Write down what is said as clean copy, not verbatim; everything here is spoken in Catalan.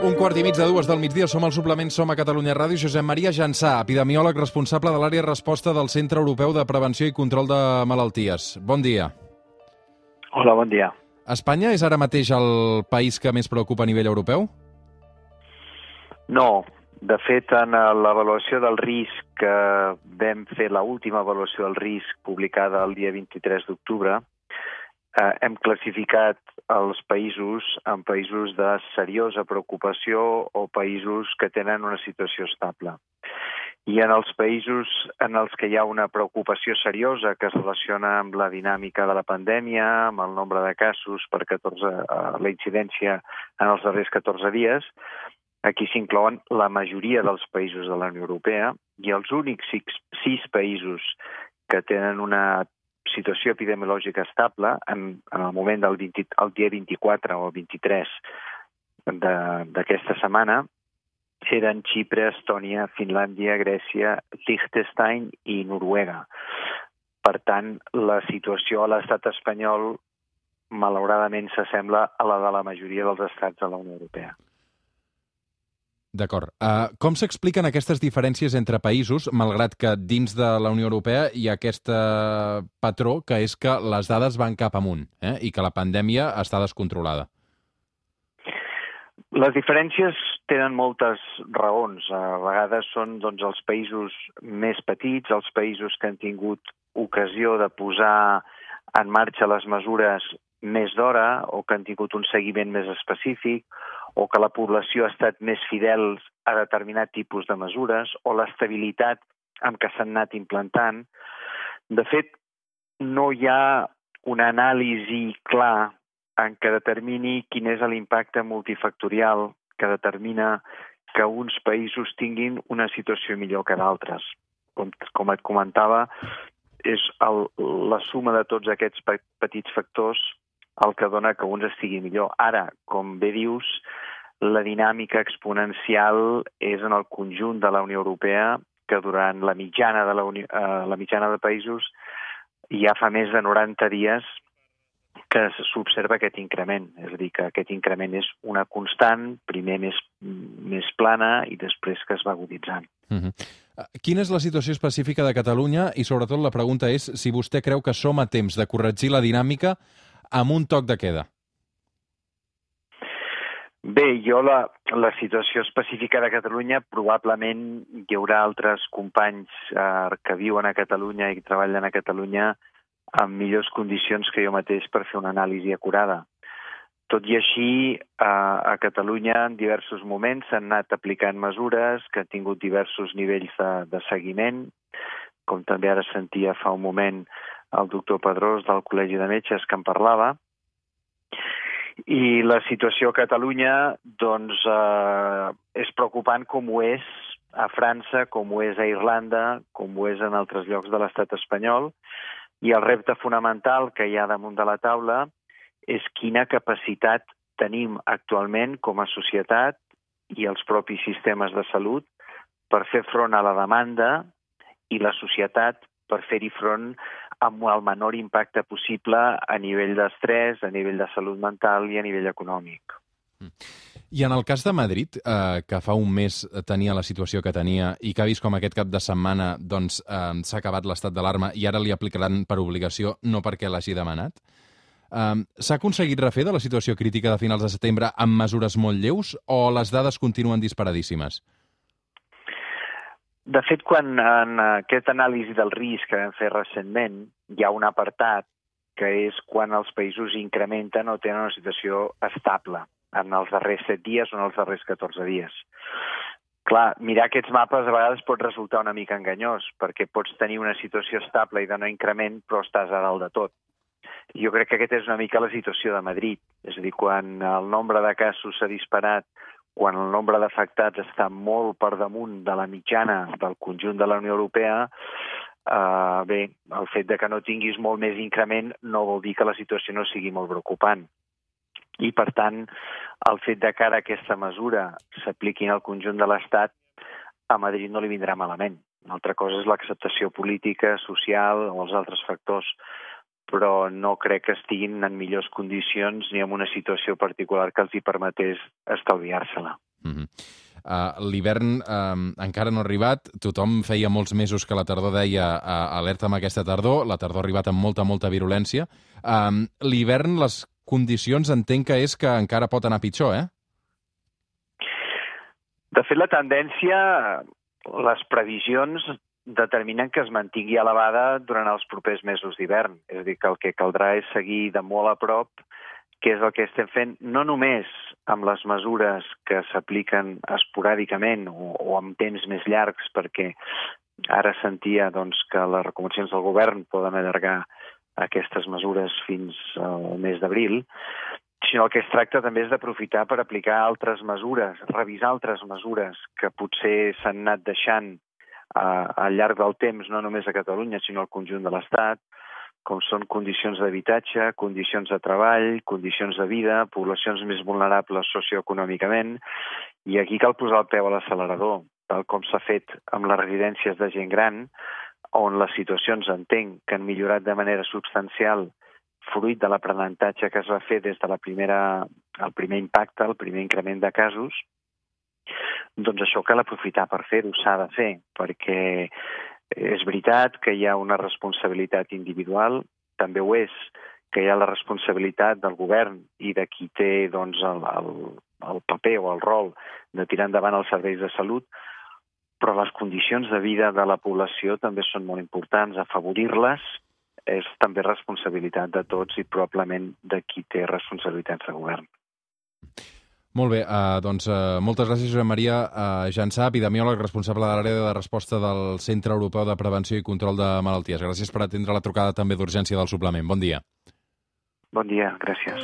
1:15 del migdia, som al suplement Som a Catalunya Ràdio. Josep Maria Jansà, epidemiòleg responsable de l'àrea resposta del Centre Europeu de Prevenció i Control de Malalties. Bon dia. Hola, bon dia. Espanya és ara mateix el país que més preocupa a nivell europeu? No. De fet, en l'avaluació del risc que vam fer, l'última avaluació del risc publicada el dia 23 d'octubre, hem classificat els països en països de seriosa preocupació o països que tenen una situació estable. I en els països en els que hi ha una preocupació seriosa que es relaciona amb la dinàmica de la pandèmia, amb el nombre de casos per la incidència en els darrers 14 dies, aquí s'inclouen la majoria dels països de la Unió Europea i els únics 6 països que tenen una situació epidemiològica estable en el moment del dia 24 o 23 d'aquesta setmana eren Xipre, Estònia, Finlàndia, Grècia, Liechtenstein i Noruega. Per tant, la situació a l'estat espanyol malauradament s'assembla a la de la majoria dels estats de la Unió Europea. D'acord. Com s'expliquen aquestes diferències entre països, malgrat que dins de la Unió Europea hi ha aquest patró que és que les dades van cap amunt i que la pandèmia està descontrolada? Les diferències tenen moltes raons. A vegades són els països més petits, els països que han tingut ocasió de posar en marxa les mesures més d'hora o que han tingut un seguiment més específic o que la població ha estat més fidel a determinat tipus de mesures o l'estabilitat amb què s'han anat implantant. De fet, no hi ha una anàlisi clar en què determini quin és l'impacte multifactorial que determina que uns països tinguin una situació millor que d'altres. Com et comentava, és la suma de tots aquests petits factors el que dona que uns estigui millor. Ara, com bé dius, la dinàmica exponencial és en el conjunt de la Unió Europea, que durant la mitjana de països ja fa més de 90 dies que s'observa aquest increment. És a dir, que aquest increment és una constant, primer més plana i després que es va aguditzant. Quina és la situació específica de Catalunya? I sobretot la pregunta és si vostè creu que som a temps de corregir la dinàmica amb un toc de queda. Bé, jo la situació específica de Catalunya, probablement hi haurà altres companys que viuen a Catalunya i que treballen a Catalunya en millors condicions que jo mateix per fer una anàlisi acurada. Tot i així, a Catalunya en diversos moments s'han anat aplicant mesures que han tingut diversos nivells de seguiment, com també ara sentia fa un moment el doctor Pedrós del Col·legi de Metges que en parlava. I la situació a Catalunya és preocupant com ho és a França, com ho és a Irlanda, com ho és en altres llocs de l'estat espanyol. I el repte fonamental que hi ha damunt de la taula és quina capacitat tenim actualment com a societat i els propis sistemes de salut per fer front a la demanda i la societat per fer-hi front amb el menor impacte possible a nivell d'estrès, a nivell de salut mental i a nivell econòmic. I en el cas de Madrid, que fa un mes tenia la situació que tenia i que ha vist com aquest cap de setmana s'ha acabat l'estat d'alarma i ara li aplicaran per obligació, no perquè l'hagi demanat, s'ha aconseguit refer de la situació crítica de finals de setembre amb mesures molt lleus o les dades continuen disparadíssimes? De fet, quan en aquesta anàlisi del risc que vam fer recentment hi ha un apartat que és quan els països incrementen o tenen una situació estable en els darrers 7 dies o en els darrers 14 dies. Clar, mirar aquests mapes a vegades pot resultar una mica enganyós, perquè pots tenir una situació estable i de no increment, però estàs a dalt de tot. Jo crec que aquesta és una mica la situació de Madrid. És a dir, quan el nombre de casos s'ha disparat, quan el nombre d'afectats està molt per damunt de la mitjana del conjunt de la Unió Europea, bé, el fet de que no tinguis molt més increment no vol dir que la situació no sigui molt preocupant. I, per tant, el fet de que ara aquesta mesura s'apliqui al conjunt de l'Estat, a Madrid no li vindrà malament. Una altra cosa és l'acceptació política, social o els altres factors, però no crec que estiguin en millors condicions ni en una situació particular que els hi permetés estalviar-se-la. L'hivern encara no ha arribat, tothom feia molts mesos que la tardor deia alerta amb aquesta tardor, la tardor ha arribat amb molta virulència. L'hivern, les condicions entenc que és que encara pot anar pitjor, eh? De fet, la tendència, les previsions determinen que es mantingui elevada durant els propers mesos d'hivern. És a dir, que el que caldrà és seguir de molt a prop què és el que estem fent, no només amb les mesures que s'apliquen esporàdicament o amb temps més llargs, perquè ara sentia que les recomanacions del govern poden allargar aquestes mesures fins al mes d'abril, sinó el que es tracta també és d'aprofitar per aplicar altres mesures, revisar altres mesures que potser s'han anat deixant al llarg del temps, no només a Catalunya, sinó al conjunt de l'Estat, com són condicions d'habitatge, condicions de treball, condicions de vida, poblacions més vulnerables socioeconòmicament, i aquí cal posar el peu a l'accelerador, tal com s'ha fet amb les residències de gent gran, on les situacions, entenc, que han millorat de manera substancial fruit de l'aprenentatge que es va fer des de el primer impacte, el primer increment de casos, doncs això cal aprofitar per fer-ho, s'ha de fer, perquè és veritat que hi ha una responsabilitat individual, també ho és que hi ha la responsabilitat del govern i de qui té el paper o el rol de tirar endavant els serveis de salut, però les condicions de vida de la població també són molt importants. Afavorir-les és també responsabilitat de tots i probablement de qui té responsabilitats de govern. Molt bé, doncs moltes gràcies, Josep Maria Jansà, epidemiòleg responsable de l'àrea de resposta del Centre Europeu de Prevenció i Control de Malalties. Gràcies per atendre la trucada també d'urgència del suplement. Bon dia. Bon dia, gràcies.